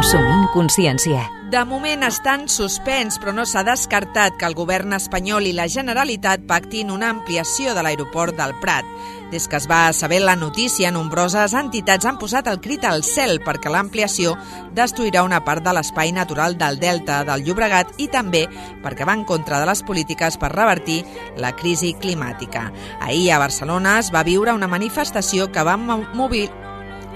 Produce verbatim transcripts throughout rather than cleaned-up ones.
Consumint consciència. De moment està en suspens, però no s'ha descartat que el govern espanyol i la Generalitat pactin una ampliació de l'aeroport del Prat. Des que es va saber la notícia, nombroses entitats han posat el crit al cel perquè l'ampliació destruirà una part de l'espai natural del Delta del Llobregat i també perquè va en contra de les polítiques per revertir la crisi climàtica. Ahir a Barcelona es va viure una manifestació que va mobilitzar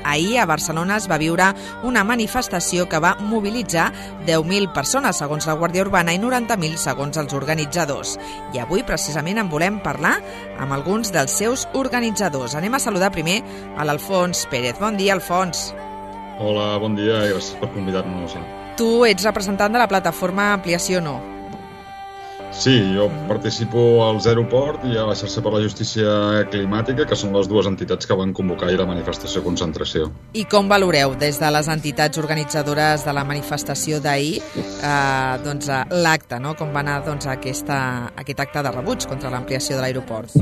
Ahir a Barcelona es va viure una manifestació que va mobilitzar deu mil persones, segons la Guàrdia Urbana, i noranta mil, segons els organitzadors. I avui, precisament, en volem parlar amb alguns dels seus organitzadors. Anem a saludar primer a l'Alfons Pérez. Bon dia, Alfons. Hola, bon dia i gràcies per convidar-nos. Tu ets representant de la plataforma Ampliació No. Sí, jo participo al Zero Port i a la xarxa per la justícia climàtica, que són les dues entitats que van convocar ahir la manifestació concentració. I com valoreu des de les entitats organitzadores de la manifestació d'ahir eh, doncs, l'acte, no? Com va anar doncs, aquesta, aquest acte de rebuig contra l'ampliació de l'aeroport?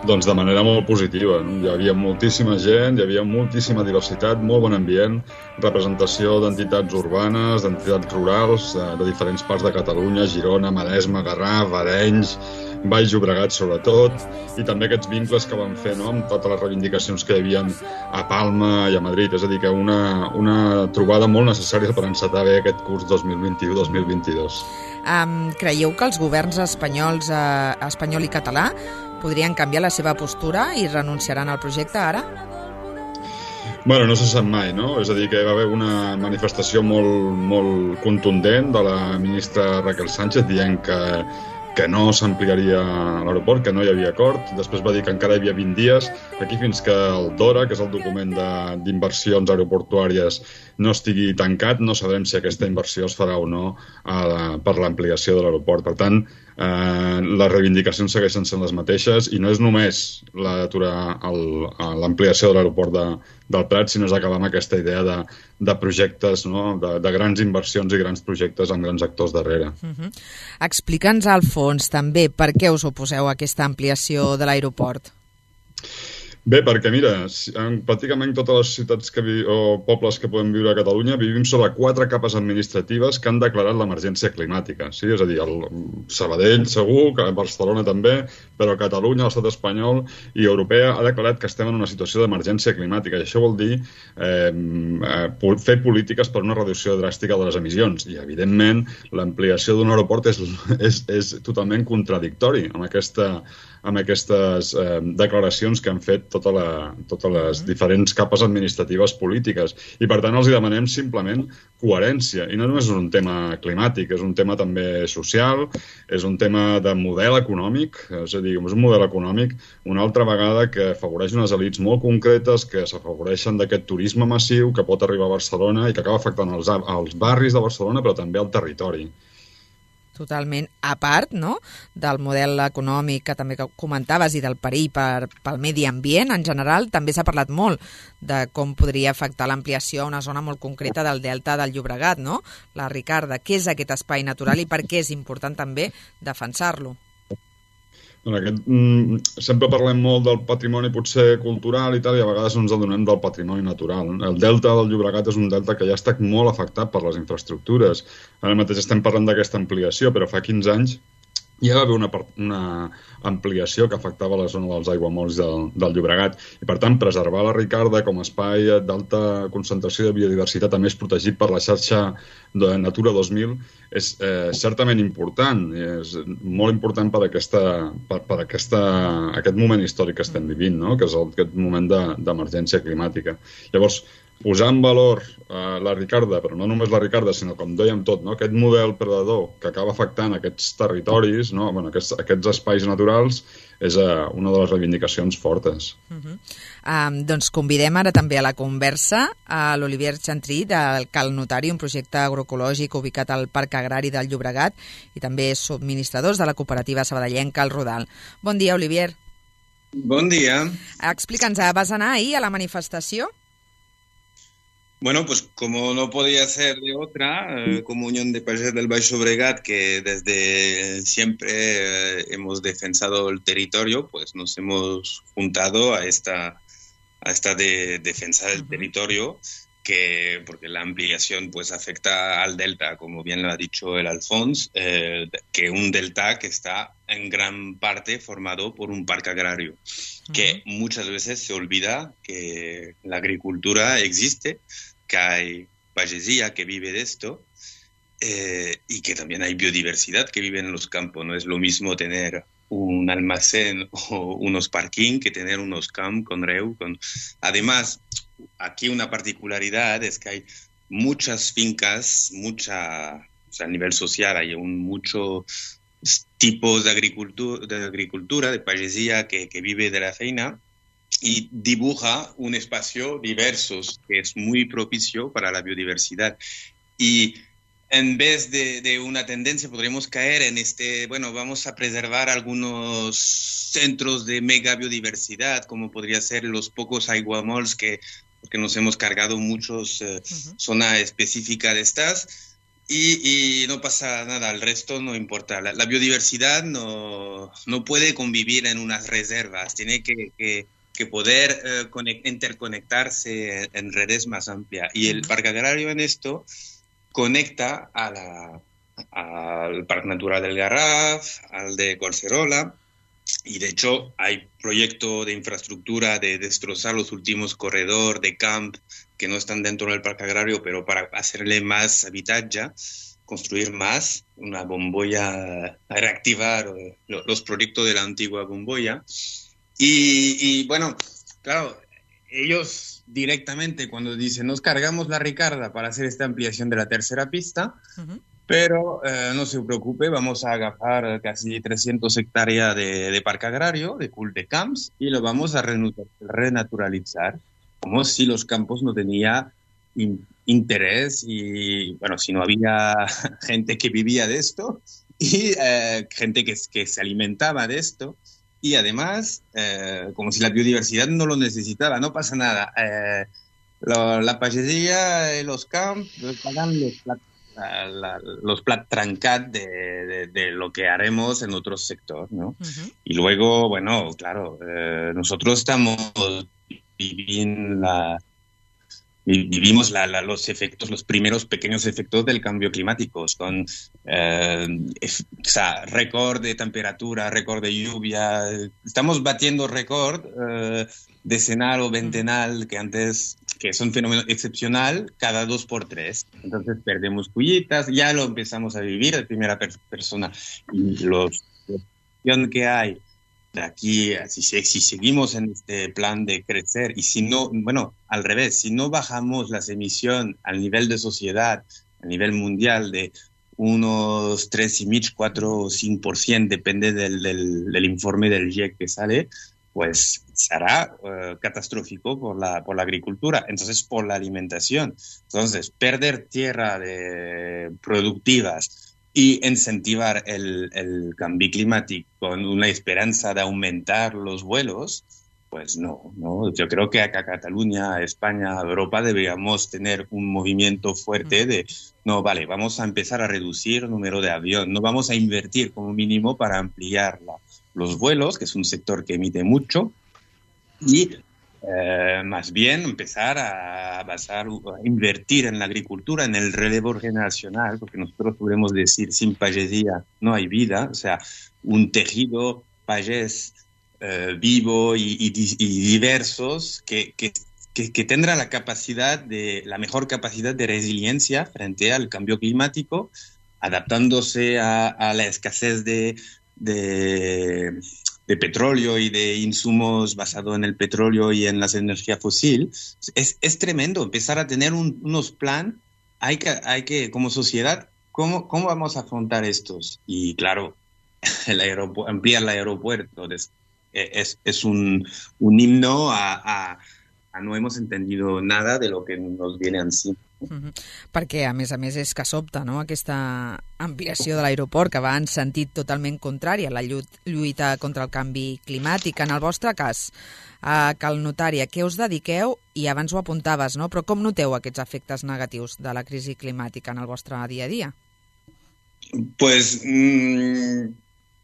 Doncs de manera molt positiva. Hi havia moltíssima gent, hi havia moltíssima diversitat, molt bon ambient, representació d'entitats urbanes, d'entitats rurals, de diferents parts de Catalunya, Girona, Maresme, Garraf, Arenys, Baix Llobregat sobretot, i també aquests vincles que van fer, no?, amb totes les reivindicacions que hi havia a Palma i a Madrid. És a dir, que una, una trobada molt necessària per encetar bé aquest curs dos mil vint-i-u dos mil vint-i-dos. Um, creieu que els governs espanyols, eh, espanyol i català podrien canviar la seva postura i renunciaran al projecte ara? Bueno, no se sap mai, no? És a dir, que va haver una manifestació molt, molt contundent de la ministra Raquel Sánchez dient que que no s'ampliaria l'aeroport, que no hi havia acord. Després va dir que encara hi havia vint dies. Aquí fins que el DORA, que és el document d'inversions aeroportuàries, no estigui tancat, no sabrem si aquesta inversió es farà o no a la, per l'ampliació de l'aeroport. Per tant, eh, les reivindicacions segueixen sent les mateixes i no és només d'aturar l'ampliació de l'aeroport de, del Prat, sinó és acabar amb aquesta idea de, de projectes, no?, de, de grans inversions i grans projectes amb grans actors darrere. Uh-huh. Explica'ns, al fons, també, per què us oposeu a aquesta ampliació de l'aeroport? Bé, perquè mira, en pràcticament totes les ciutats que vi o pobles que podem viure a Catalunya vivim sobre quatre capes administratives que han declarat l'emergència climàtica. Sí? És a dir, el Sabadell segur, que Barcelona també, però Catalunya, l'estat espanyol i europea ha declarat que estem en una situació d'emergència climàtica. I això vol dir eh, fer polítiques per una reducció dràstica de les emissions. I, evidentment, l'ampliació d'un aeroport és, és, és totalment contradictori amb aquesta amb aquestes eh, declaracions que han fet tota la, totes les diferents capes administratives polítiques. I, per tant, els demanem simplement coherència. I no només és un tema climàtic, és un tema també social, és un tema de model econòmic, és a dir, és un model econòmic una altra vegada que afavoreix unes elits molt concretes que s'afavoreixen d'aquest turisme massiu que pot arribar a Barcelona i que acaba afectant els, els barris de Barcelona, però també al territori. Totalment, a part, no?, del model econòmic que també comentaves i del perill per, pel medi ambient en general, també s'ha parlat molt de com podria afectar l'ampliació a una zona molt concreta del Delta del Llobregat, no? La Ricarda, què és aquest espai natural i per què és important també defensar-lo? Bueno, aquest, mm, sempre parlem molt del patrimoni potser cultural i tal, i a vegades no ens adonem del patrimoni natural. El Delta del Llobregat és un delta que ja ha estat molt afectat per les infraestructures. Ara mateix estem parlant d'aquesta ampliació, però fa quinze anys ja va haver una, una ampliació que afectava la zona dels aiguamolls del, del Llobregat. I, per tant, preservar la Ricarda com a espai d'alta concentració de biodiversitat a més protegit per la xarxa de Natura dos mil és eh, certament important. És molt important per, aquesta, per, per aquesta, aquest moment històric que estem vivint, no?, que és el, aquest moment d'emergència climàtica. Llavors, posar en valor eh, la Ricarda, però no només la Ricarda, sinó, com dèiem tot, no?, aquest model predador que acaba afectant aquests territoris, no?, bueno, aquests, aquests espais naturals, és uh, una de les reivindicacions fortes. Uh-huh. um, doncs convidem ara també a la conversa a l'Olivier Chantry del Cal Notari, un projecte agroecològic ubicat al Parc Agrari del Llobregat i també subministradors de la cooperativa sabadellenca El Rodal. Bon dia, Olivier. Bon dia. Explica'ns, vas anar ahir a la manifestació? Bueno, pues como no podía ser de otra, eh, como Unión de Países del Baix Llobregat, que desde siempre eh, hemos defensado el territorio, pues nos hemos juntado a esta, a esta de, defensa del uh-huh. territorio, que, porque la ampliación pues afecta al delta, como bien lo ha dicho el Alfons, eh, que un delta que está en gran parte formado por un parque agrario, uh-huh. que muchas veces se olvida que la agricultura existe, que hay pagesia que vive de esto, eh, y que también hay biodiversidad que vive en los campos. No es lo mismo tener un almacén o unos parking que tener unos camps con reu. Con... Además, aquí una particularidad es que hay muchas fincas, mucha, o sea, a nivel social hay un, muchos tipos de agricultura, de, agricultura, de pagesia que, que vive de la feina y dibuja un espacio diverso que es muy propicio para la biodiversidad. Y en vez de, de una tendencia, podríamos caer en este, bueno, vamos a preservar algunos centros de mega biodiversidad, como podría ser los pocos aiguamols que, que nos hemos cargado muchos, eh, uh-huh. zona específica de estas, y, y no pasa nada, el resto no importa. La, la biodiversidad no, no puede convivir en unas reservas, tiene que, que, que poder eh, conect, interconectarse en redes más amplias. Y el uh-huh. Parque Agrario en esto conecta a la, al Parque Natural del Garraf, al de Collserola, y de hecho hay proyecto de infraestructura de destrozar los últimos corredores de camp que no están dentro del Parque Agrario, pero para hacerle más habitatge, construir más, una bombolla, reactivar los proyectos de la antigua bombolla. Y, y bueno, claro, ellos directamente cuando dicen nos cargamos la Ricarda para hacer esta ampliación de la tercera pista, uh-huh. pero eh, no se preocupe, vamos a agarrar casi trescientas hectáreas de, de parque agrario, de cul de camps, y lo vamos a renaturalizar, como si los campos no tenían in, interés y, bueno, si no había gente que vivía de esto y eh, gente que, que se alimentaba de esto. Y además, eh, como si la biodiversidad no lo necesitaba, no pasa nada. Eh, lo, la pagesia y los camps pagan los plat, la, la, los plat trencat de, de, de lo que haremos en otro sector, ¿no? Uh-huh. Y luego, bueno, claro, eh, nosotros estamos viviendo la... Vivimos la, la, los efectos, los primeros pequeños efectos del cambio climático, con eh, ef, o sea, récord de temperatura, récord de lluvia. Estamos batiendo récord eh, decenal o ventenal, que antes, que es un fenómeno excepcional, cada dos por tres. Entonces perdemos cuyitas, ya lo empezamos a vivir de primera per- persona. Y los, la opción que hay de aquí, si, si seguimos en este plan de crecer, y si no, bueno, al revés, si no bajamos las emisiones al nivel de sociedad, a nivel mundial, de unos tres y medio, cuatro o cinco por ciento, depende del, del, del informe del G I E C que sale, pues será uh, catastrófico por la, por la agricultura, entonces por la alimentación. Entonces, perder tierra de productivas y incentivar el, el cambio climático con una esperanza de aumentar los vuelos, pues no, no. Yo creo que acá Cataluña, España, Europa deberíamos tener un movimiento fuerte de, no, vale, vamos a empezar a reducir el número de aviones, no vamos a invertir como mínimo para ampliar la, los vuelos, que es un sector que emite mucho, y Eh, más bien empezar a basar, a invertir en la agricultura, en el relevo generacional, porque nosotros podemos decir sin pagesia no hay vida, o sea, un tejido pagés eh, vivo y, y, y diversos que, que, que, que tendrá la capacidad de, la mejor capacidad de resiliencia frente al cambio climático, adaptándose a, a la escasez de, de de petróleo y de insumos basados en el petróleo y en las energías fósiles. Es, es tremendo empezar a tener un, unos planes. Hay que, hay que, como sociedad, ¿cómo, cómo vamos a afrontar estos? Y claro, el aeropu- ampliar el aeropuerto es, es, es un, un himno a, a, a no hemos entendido nada de lo que nos viene encima. Mm-hmm. Perquè, a més a més, és que sobta, no?, aquesta ampliació de l'aeroport, que va en sentit totalment contrari a la lluita contra el canvi climàtic. En el vostre cas, a Cal Notari, a què us dediqueu? I abans ho apuntaves, no?, però com noteu aquests efectes negatius de la crisi climàtica en el vostre dia a dia? Pues... Mmm...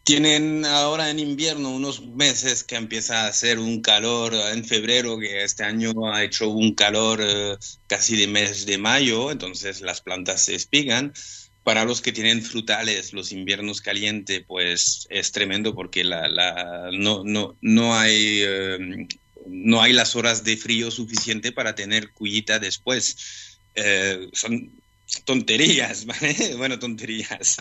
Tienen ahora en invierno unos meses que empieza a hacer un calor en febrero, que este año ha hecho un calor eh, casi de mes de mayo, entonces las plantas se espigan. Para los que tienen frutales, los inviernos calientes, pues es tremendo porque la, la, no, no, no, hay, eh, no hay las horas de frío suficiente para tener cullita después. Eh, son tonterías, ¿vale? Bueno, tonterías.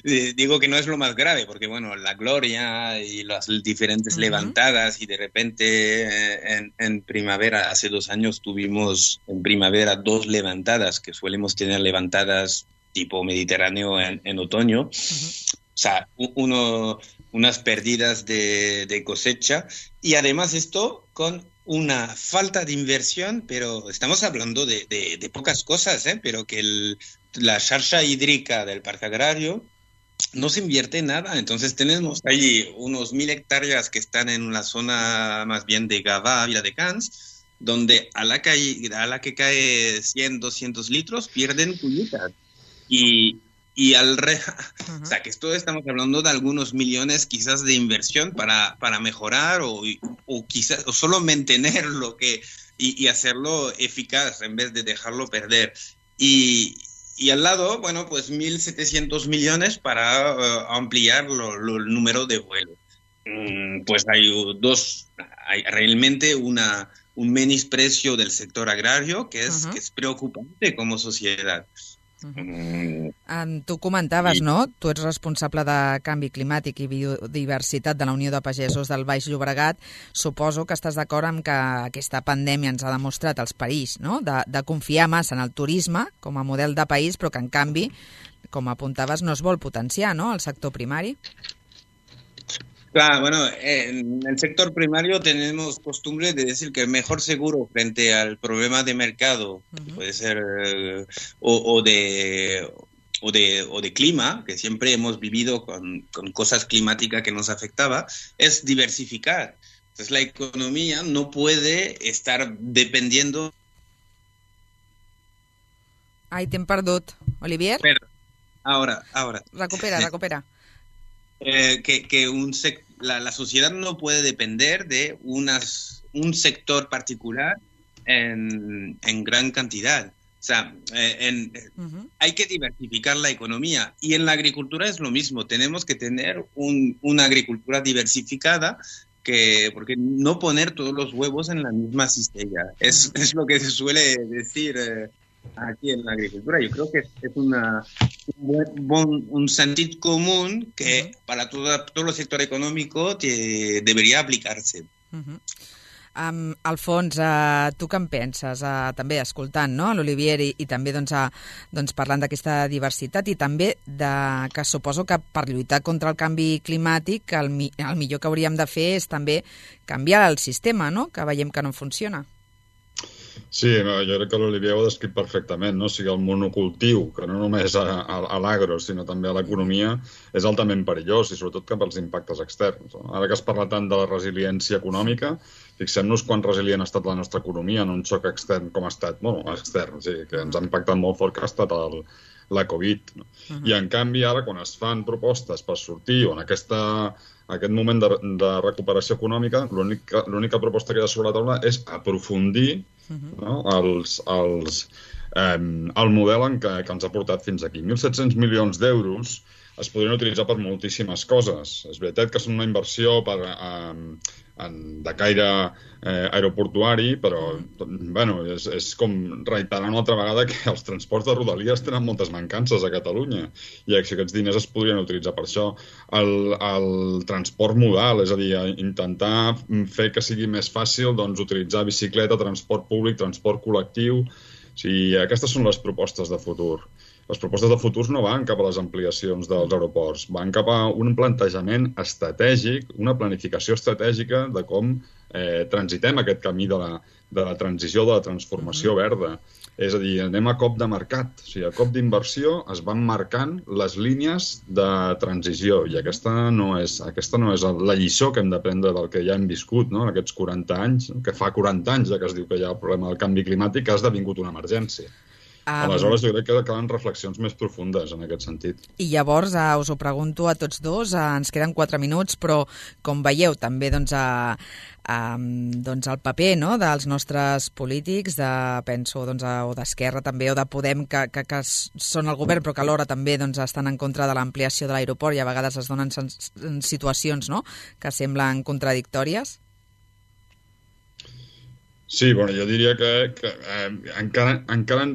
Digo que no es lo más grave, porque bueno, la gloria y las diferentes uh-huh. levantadas, y de repente eh, en, en primavera, hace dos años tuvimos en primavera dos levantadas, que solemos tener levantadas tipo Mediterráneo en, en otoño. Uh-huh. O sea, uno, unas pérdidas de, de cosecha, y además esto con una falta de inversión, pero estamos hablando de, de, de pocas cosas, ¿eh? Pero que el, la xarxa hídrica del parque agrario no se invierte en nada. Entonces tenemos allí unos mil hectáreas que están en la zona más bien de Gavà, Viladecans, donde a la, que, a la que cae cien, doscientos litros pierden cullitas. Y, y al re... uh-huh. O sea, que esto estamos hablando de algunos millones quizás de inversión para, para mejorar o, o quizás o solo mantener lo que y, y hacerlo eficaz en vez de dejarlo perder. Y, y al lado, bueno, pues mil setecientos millones para uh, ampliar lo, lo, el número de vuelos. Mm, pues hay dos, hay realmente una, un menosprecio del sector agrario que es, uh-huh. que es preocupante como sociedad. Uh-huh. Um, tu comentaves, I... no? Tu ets responsable de canvi climàtic i biodiversitat de la Unió de Pagesos del Baix Llobregat. Suposo que estàs d'acord amb que aquesta pandèmia ens ha demostrat els perills, no? De, de confiar massa en el turisme com a model de país, però que en canvi, com apuntaves, no es vol potenciar, no?, el sector primari. Claro, bueno, en el sector primario tenemos costumbre de decir que el mejor seguro frente al problema de mercado, uh-huh. puede ser, eh, o, o, de, o, de, o de clima, que siempre hemos vivido con, con cosas climáticas que nos afectaba, es diversificar. Entonces la economía no puede estar dependiendo... Ai, t'hem perdut. Olivier? Pero, ahora, ahora. Recupera, recupera. Eh, que, que un sec- la, la sociedad no puede depender de unas, un sector particular en, en gran cantidad. O sea, eh, en, uh-huh. hay que diversificar la economía. Y en la agricultura es lo mismo. Tenemos que tener un, una agricultura diversificada, que, porque no poner todos los huevos en la misma cistella. Es, uh-huh. es lo que se suele decir... Eh, aquí en la agricultura. Yo creo que es una, un, buen, un sentido común que uh-huh. para todo, todo el sector económico te, debería aplicarse. Uh-huh. Um, Alfons, uh, tu què en penses? Uh, també escoltant, no?, l'Olivier i, i també doncs, uh, doncs, parlant d'aquesta diversitat i també de, que suposo que per lluitar contra el canvi climàtic el, mi, el millor que hauríem de fer és també canviar el sistema, no?, que veiem que no funciona. Sí, jo crec que l'Olivier ho ha descrit perfectament, no? O sigui, el monocultiu, que no només a, a, a l'agro, sinó també a l'economia, és altament perillós i sobretot cap als impactes externs. Ara que es parla tant de la resiliència econòmica, fixem-nos quan resilient ha estat la nostra economia en un xoc extern com ha estat, bueno, extern, sí, que ens ha impactat molt fort, que ha estat el, la Covid. No? Uh-huh. I en canvi ara, quan es fan propostes per sortir o en aquesta... aquest moment de, de recuperació econòmica, l'única, l'única proposta que hi ha sobre la taula és aprofundir uh-huh. no, els, els, eh, el model en què, que ens ha portat fins aquí. mil set-cents milions d'euros es podrien utilitzar per moltíssimes coses. És veritat que són una inversió per, eh, en, de caire eh, aeroportuari, però bueno, és, és com reiterar una altra vegada que els transports de Rodalies tenen moltes mancances a Catalunya i aquests diners es podrien utilitzar per això. El, el transport modal, és a dir, intentar fer que sigui més fàcil doncs, utilitzar bicicleta, transport públic, transport col·lectiu. O sigui, aquestes són les propostes de futur. Les propostes de futur no van cap a les ampliacions dels aeroports, van cap a un plantejament estratègic, una planificació estratègica de com eh, transitem aquest camí de la, de la transició, de la transformació verda. És a dir, anem a cop de mercat. O sigui, a cop d'inversió es van marcant les línies de transició i aquesta no és, aquesta no és la lliçó que hem d'aprendre del que ja hem viscut, no? En aquests quaranta anys, que fa quaranta anys ja que es diu que hi ha el problema del canvi climàtic, que ha esdevingut una emergència. Um, Aleshores, jo crec que calen reflexions més profundes en aquest sentit. I llavors, uh, us ho pregunto a tots dos, uh, ens queden quatre minuts, però com veieu, també doncs, uh, um, doncs el paper, no?, dels nostres polítics, de, penso, doncs, uh, o d'Esquerra també, o de Podem, que, que, que són el govern, però que alhora també doncs, estan en contra de l'ampliació de l'aeroport i a vegades es donen situacions, no?, que semblen contradictòries. Sí, bueno, jo diria que, que eh, encara, encara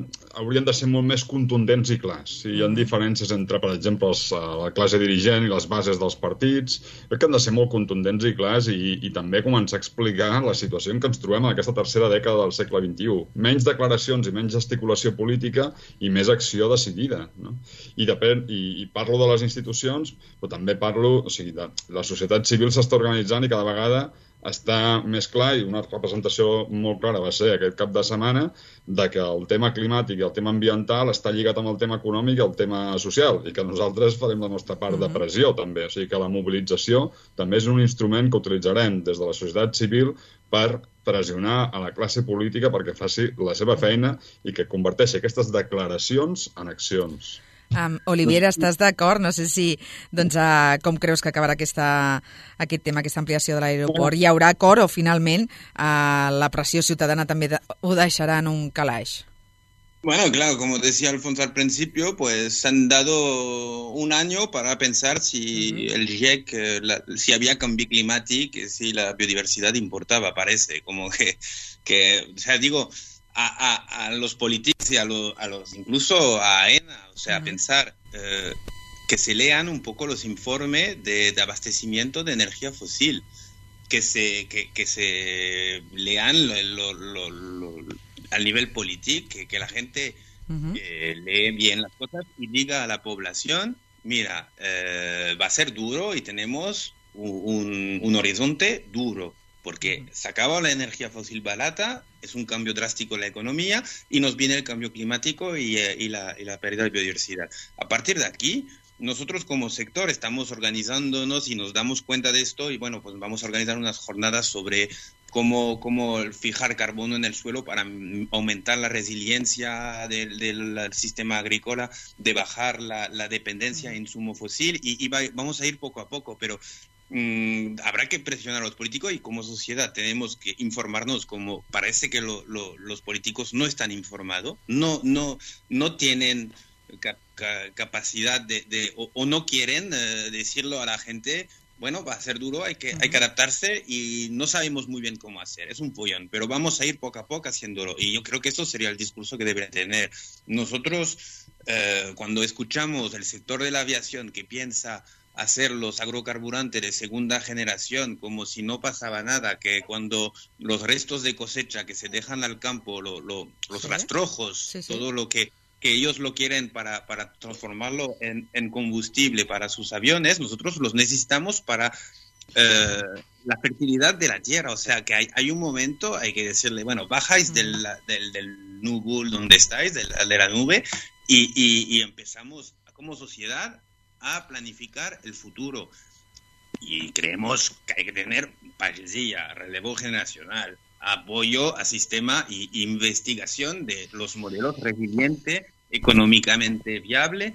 haurien de ser molt més contundents i clars. Sí, hi ha diferències entre, per exemple, els, la classe dirigent i les bases dels partits. Crec que han de ser molt contundents i clars i, i també començar a explicar la situació en què ens trobem en aquesta tercera dècada del segle vint-i-u. Menys declaracions i menys gesticulació política i més acció decidida. No? I, depèn, i, I parlo de les institucions, però també parlo... O sigui, de, la societat civil s'està organitzant i cada vegada està més clar, i una representació molt clara va ser aquest cap de setmana, de que el tema climàtic i el tema ambiental està lligat amb el tema econòmic i el tema social, i que nosaltres farem la nostra part de pressió també. O sigui que la mobilització també és un instrument que utilitzarem des de la societat civil per pressionar a la classe política perquè faci la seva feina i que converteixi aquestes declaracions en accions. Um, Olivier, estàs d'acord? No sé si, doncs, uh, com creus que acabarà aquesta, aquest tema, aquesta ampliació de l'aeroport? Hi haurà acord o finalment uh, la pressió ciutadana també de, ho deixarà en un calaix? Bueno, claro, como decía Alfonso al principio, pues han dado un año para pensar si uh-huh. el G I E C, la, si había cambio climático, si la biodiversidad importaba, parece, como que, que o sea, digo... A, a, a los políticos y a, lo, a los, incluso a AENA, o sea, uh-huh. pensar eh, que se lean un poco los informes de, de abastecimiento de energía fósil, que se, que, que se lean lo, lo, lo, lo, al nivel político, que, que la gente uh-huh. eh, lee bien las cosas y diga a la población, mira, eh, va a ser duro y tenemos un, un horizonte duro. Porque se acaba la energía fósil barata, es un cambio drástico en la economía y nos viene el cambio climático y, y, la, y la pérdida de biodiversidad. A partir de aquí, nosotros como sector estamos organizándonos y nos damos cuenta de esto y bueno, pues vamos a organizar unas jornadas sobre cómo, cómo fijar carbono en el suelo para aumentar la resiliencia del, del sistema agrícola, de bajar la, la dependencia en insumo fósil y, y va, vamos a ir poco a poco, pero... Mm, habrá que presionar a los políticos y como sociedad tenemos que informarnos, como parece que lo, lo, los políticos no están informados, no, no, no tienen ca, ca, capacidad de, de o, o no quieren eh, decirlo a la gente, bueno, va a ser duro, hay que, uh-huh. hay que adaptarse y no sabemos muy bien cómo hacer, es un follón, pero vamos a ir poco a poco haciéndolo y yo creo que eso sería el discurso que debería tener. Nosotros, eh, cuando escuchamos el sector de la aviación que piensa hacer los agrocarburantes de segunda generación como si no pasaba nada, que cuando los restos de cosecha que se dejan al campo, lo, lo, los ¿Sí? rastrojos, sí, sí. todo lo que, que ellos lo quieren para, para transformarlo en, en combustible para sus aviones, nosotros los necesitamos para eh, la fertilidad de la tierra. O sea que hay, hay un momento, hay que decirle, bueno, bajáis mm. del, del, del nubul donde estáis, de la, de la nube, y, y, y empezamos como sociedad a planificar el futuro y creemos que hay que tener paisilla, relevo generacional, apoyo a sistema y investigación de los modelos resilientes, económicamente viable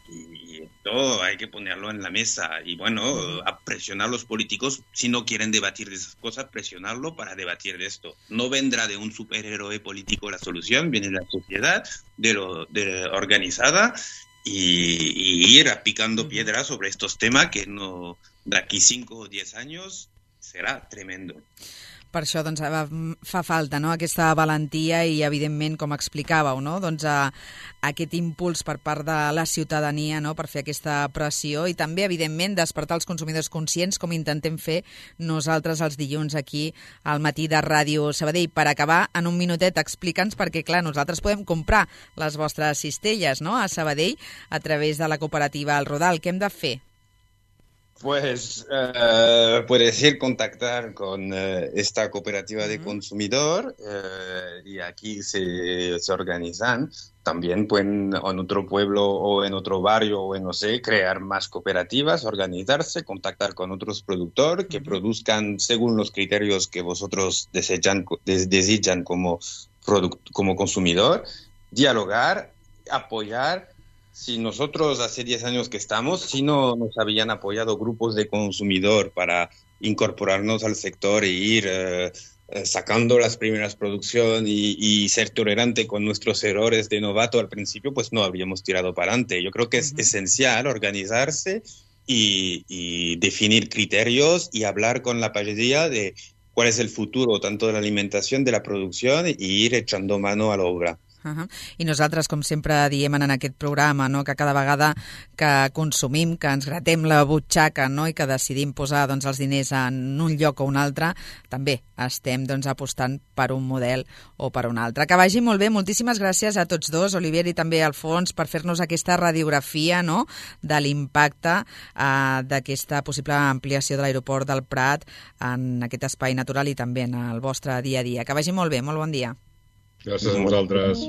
y esto hay que ponerlo en la mesa y bueno, a presionar a los políticos si no quieren debatir de esas cosas, presionarlo para debatir de esto. No vendrá de un superhéroe político la solución, viene de la sociedad, de lo de organizada Y, y ir picando piedras sobre estos temas que no, d'aquí cinc o diez años serà tremendo. Per això doncs, fa falta, no?, aquesta valentia i, evidentment, com explicàveu, no?, doncs, a, aquest impuls per part de la ciutadania, no?, per fer aquesta pressió i també, evidentment, despertar els consumidors conscients, com intentem fer nosaltres els dilluns aquí al matí de Ràdio Sabadell. Per acabar, en un minutet, explica'ns, perquè, clar, nosaltres podem comprar les vostres cistelles, no?, a Sabadell a través de la cooperativa El Rodal. Què hem de fer? Pues uh, puedes ir contactar con uh, esta cooperativa de consumidor uh, y aquí se, se organizan. También pueden en otro pueblo o en otro barrio o en no sé, crear más cooperativas, organizarse, contactar con otros productores que uh-huh. produzcan según los criterios que vosotros desechan, des, desechan como, product, como consumidor. dialogar, apoyar. Si nosotros hace diez años que estamos, si no nos habían apoyado grupos de consumidor para incorporarnos al sector e ir eh, sacando las primeras producciones y, y ser tolerante con nuestros errores de novato al principio, pues no habríamos tirado para adelante. Yo creo que es uh-huh. esencial organizarse y, y definir criterios y hablar con la pagesia de cuál es el futuro tanto de la alimentación, de la producción, y ir echando mano a la obra. Uh-huh. I nosaltres, com sempre diem en aquest programa, no? que cada vegada que consumim, que ens gratem la butxaca, no? i que decidim posar doncs, els diners en un lloc o un altre, també estem doncs, apostant per un model o per un altre. Que vagi molt bé. Moltíssimes gràcies a tots dos, Olivier i també Alfons, per fer-nos aquesta radiografia, no? de l'impacte eh, d'aquesta possible ampliació de l'aeroport del Prat en aquest espai natural i també en el vostre dia a dia. Que vagi molt bé. Molt bon dia. Gràcies a vosaltres.